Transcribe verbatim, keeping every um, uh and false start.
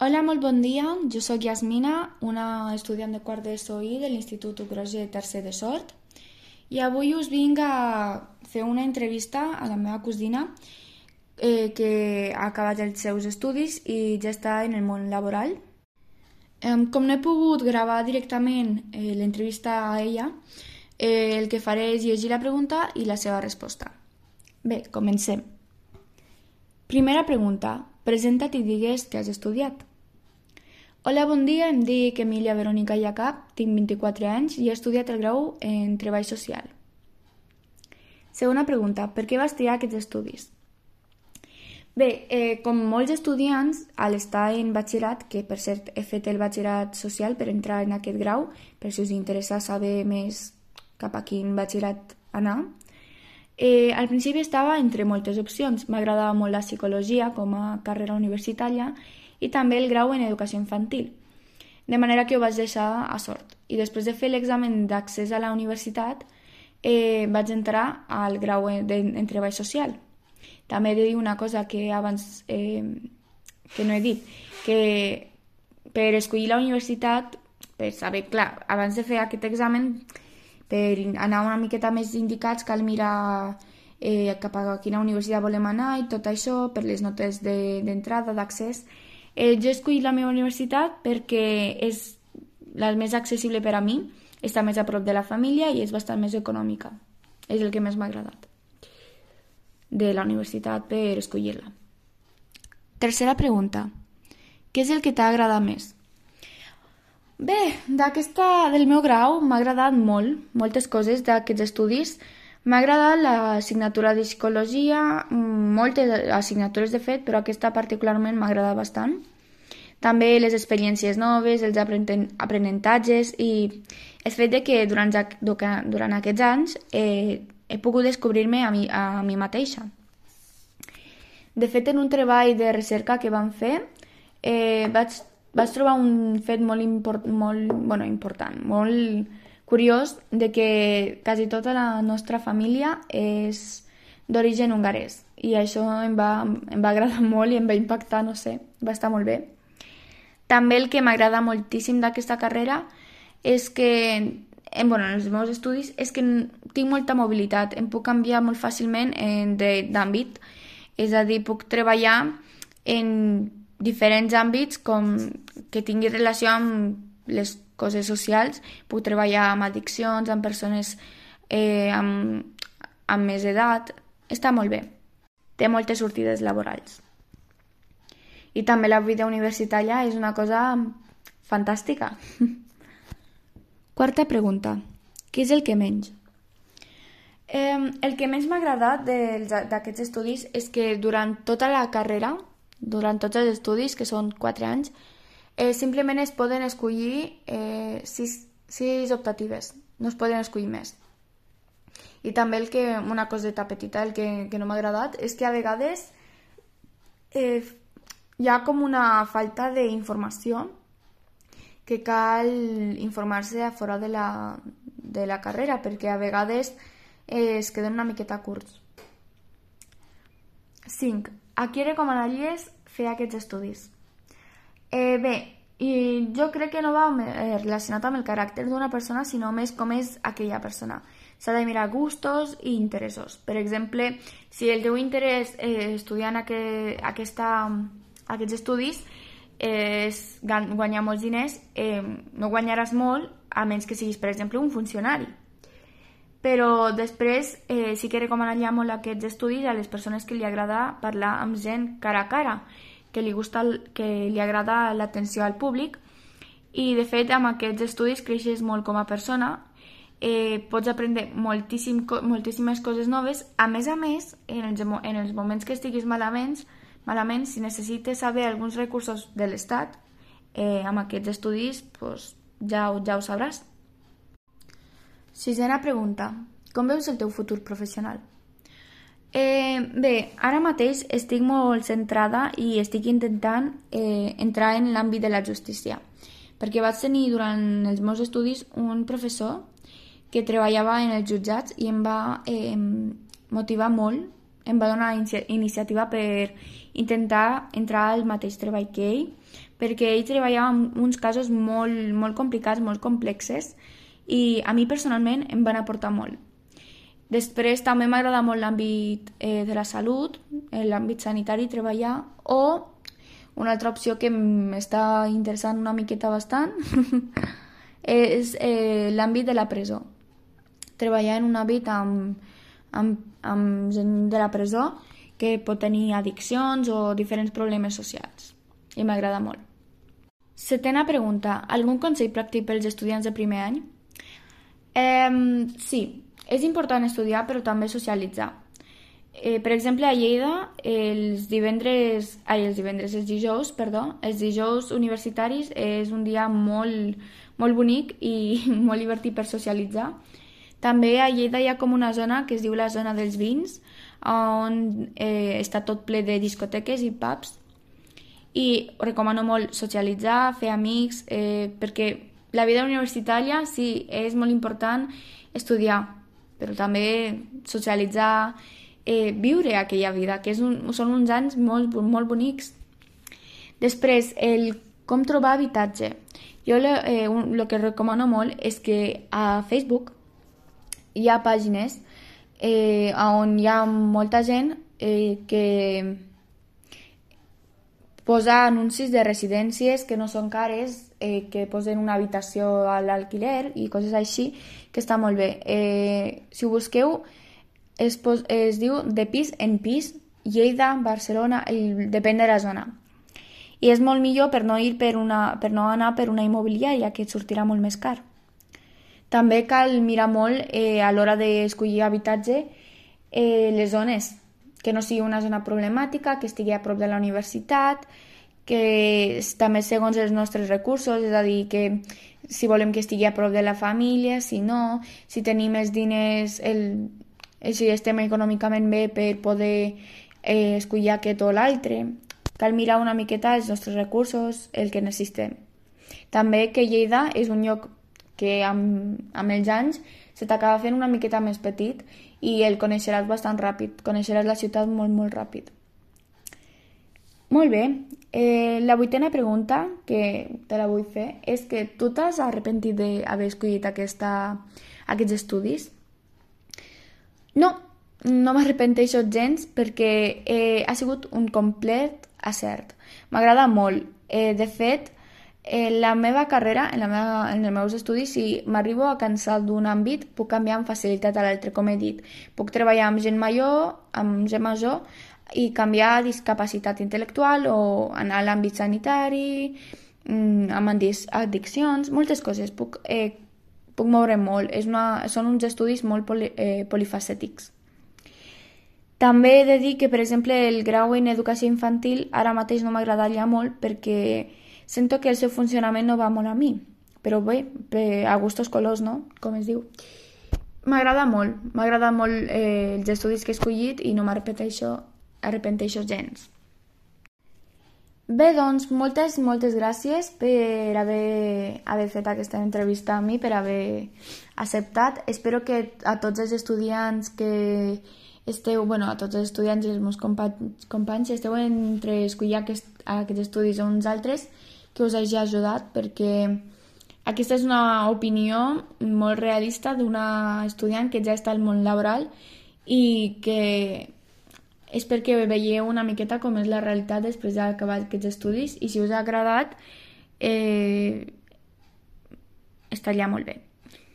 Hola, molt bon dia. Jo sóc Yasmina, una estudiant de quart d'E S O I de l'Institut Ugroge tercer de Sort. I avui us vinc a fer una entrevista a la meva cosina eh, que ha acabat els seus estudis i ja està en el món laboral. Em, com no he pogut gravar directament eh, l'entrevista a ella, eh, el que faré és llegir la pregunta i la seva resposta. Bé, comencem. Primera pregunta. Presenta't i digues que has estudiat. Hola, bon dia, em dic Emília Verònica Iacap, tinc vint-i-quatre anys i he estudiat el grau en Treball Social. Segona pregunta. Per què vas triar aquests estudis? Bé, eh, com molts estudiants, a l'estar en batxillerat, que per cert he fet el batxillerat social per entrar en aquest grau, per si us interessa saber més cap a quin batxillerat anar, eh, al principi estava entre moltes opcions. M'agradava molt la psicologia com a carrera universitària i també el grau en educació infantil, de manera que ho vaig deixar a sort. I després de fer l'examen d'accés a la universitat, eh, vaig entrar al grau en, en treball social. També he de dir una cosa que abans eh, que no he dit, que per escollir la universitat, per saber, clar, abans de fer aquest examen, per anar una miqueta més indicats, cal mirar eh, cap a quina universitat volem anar i tot això, per les notes d'entrada, de, d'accés. Eh, jo he escollit la meva universitat perquè és la més accessible per a mi, està més a prop de la família i és bastant més econòmica. És el que més m'ha agradat de la universitat per escollir-la. Tercera pregunta. Què és el que t'ha agradat més? Bé, d'aquesta del meu grau m'ha agradat molt, moltes coses d'aquests estudis. M'ha agradat l'assignatura de psicologia, moltes assignatures de fet, però aquesta particularment m'ha agradat bastant. També les experiències noves, els aprenentatges i el fet de que durant, durant aquests anys eh, he pogut descobrir-me a, mi, a mi mateixa. De fet, en un treball de recerca que vam fer, eh, vaig, vaig trobar un fet molt, import, molt bueno, important, molt curiós, de que quasi tota la nostra família és d'origen hongarès. I això em va, em va agradar molt i em va impactar, no sé, va estar molt bé. També el que m'agrada moltíssim d'aquesta carrera és que en, bueno, en els meus estudis és que tinc molta mobilitat, em puc canviar molt fàcilment d'àmbit, és a dir, puc treballar en diferents àmbits com que tingui relació amb les coses socials, puc treballar amb addiccions, amb persones eh, amb, amb més edat, està molt bé, té moltes sortides laborals. I també la vida universitària és una cosa fantàstica. Quarta pregunta. Què és el que menys? Eh, el que més m'ha agradat d'aquests estudis és que durant tota la carrera, durant tots els estudis, que són quatre anys, eh, simplement es poden escollir eh, sis, sis optatives, no es poden escollir més. I també el que, una coseta petita, el que, que no m'ha agradat, és que a vegades eh, hi ha com una falta d'informació que cal informar-se a fora de la, de la carrera, perquè a vegades eh, es queden una miqueta curts. cinc. A qui recomanaries fer aquests estudis? Eh, bé, i jo crec que no va eh, relacionat amb el caràcter d'una persona, sinó més com és aquella persona. S'ha de mirar gustos i interessos. Per exemple, si el teu interès eh, estudiant aqu aquesta, aquests estudis és guanyar molts diners, eh, no guanyaràs molt a menys que siguis, per exemple, un funcionari. Però després eh, sí que recomanaria molt aquests estudis a les persones que li agrada parlar amb gent cara a cara, que li, gusta, que li agrada l'atenció al públic, i de fet amb aquests estudis creixes molt com a persona, eh, pots aprendre moltíssim, moltíssimes coses noves. A més a més, en els, en els moments que estiguis malament, malament, si necessites saber alguns recursos de l'Estat, eh, amb aquests estudis pues, ja, ja ho sabràs. Sisena pregunta. Com veus el teu futur professional? Eh, bé, ara mateix estic molt centrada i estic intentant eh, entrar en l'àmbit de la justícia, perquè vaig tenir durant els meus estudis un professor que treballava en els jutjats i em va eh, motivar molt em va donar inici iniciativa per intentar entrar al mateix treball que ell, perquè ell treballava en uns casos molt, molt complicats, molt complexes, i a mi personalment em van aportar molt. Després també m'agrada molt l'àmbit eh, de la salut, l'àmbit sanitari, treballar, o una altra opció que m'està interessant una miqueta bastant és eh, l'àmbit de la presó. Treballar en un àmbit amb, amb, amb gent de la presó que pot tenir addiccions o diferents problemes socials. I m'agrada molt. Setena pregunta. Algun consell pràctic pels estudiants de primer any? Eh, sí, és important estudiar però també socialitzar. Eh, per exemple, a Lleida, els divendres, ai, els divendres, els dijous, perdó, els dijous universitaris és un dia molt, molt bonic i molt divertit per socialitzar. També a Lleida hi ha com una zona que es diu la zona dels vins, on eh, està tot ple de discoteques i pubs. I recomano molt socialitzar, fer amics, eh, perquè la vida universitària sí, és molt important estudiar, però també socialitzar, eh, viure aquella vida, que és un, són uns anys molt, molt bonics. Després, el com trobar habitatge. Jo el que recomano molt és que a Facebook hi ha pàgines eh, on hi ha molta gent eh, que posa anuncis de residències que no són cares, eh, que posen una habitació a l'alquiler i coses així, que està molt bé. Eh, si ho busqueu, es, pos, es diu de pis en pis, Lleida, Barcelona, el, depèn de la zona. I és molt millor per no, ir per, una, per no anar per una immobiliària, que et sortirà molt més car. També cal mirar molt eh, a l'hora d'escollir habitatge eh, les zones, que no sigui una zona problemàtica, que estigui a prop de la universitat, que també segons els nostres recursos, és a dir, que si volem que estigui a prop de la família, si no, si tenim els diners, el, si estem econòmicament bé per poder eh, escollir aquest o l'altre. Cal mirar una miqueta els nostres recursos, el que necessitem. També que Lleida és un lloc que amb, amb els anys se t'acaba fent una miqueta més petit i el coneixeràs bastant ràpid, coneixeràs la ciutat molt, molt ràpid. Molt bé, eh, la vuitena pregunta que te la vull fer és que tu t'has arrepentit d'haver escollit aquesta, aquests estudis? No, no m'arrepenteixo gens perquè eh, ha sigut un complet acert. M'agrada molt. Eh, de fet, en la meva carrera, en, la meva, en els meus estudis, si m'arribo a cansar d'un àmbit, puc canviar amb facilitat a l'altre, com he dit. Puc treballar amb gent major, amb gent major, i canviar discapacitat intel·lectual o anar a l'àmbit sanitari, amb addiccions, moltes coses. Puc, eh, puc moure molt. És una, són uns estudis molt poli, eh, polifacètics. També he de dir que, per exemple, el grau en educació infantil ara mateix no m'agradaria molt perquè sento que el seu funcionament no va molt a mi, però bé, a gustos colors, no? Com es diu. M'agrada molt, m'agrada molt eh, els estudis que he escollit i no m'arrepenteixo arrepenteixo gens. Bé, doncs, moltes, moltes gràcies per haver, haver fet aquesta entrevista a mi, per haver acceptat. Espero que a tots els estudiants que esteu, bueno, a tots els estudiants i els meus companys, companys esteu entre escollir aquest, aquests estudis o uns altres, que us hagi ajudat, perquè aquesta és una opinió molt realista d'una estudiant que ja està al món laboral i que és perquè veieu una miqueta com és la realitat després d'acabar aquests estudis, i si us ha agradat eh, estaria molt bé.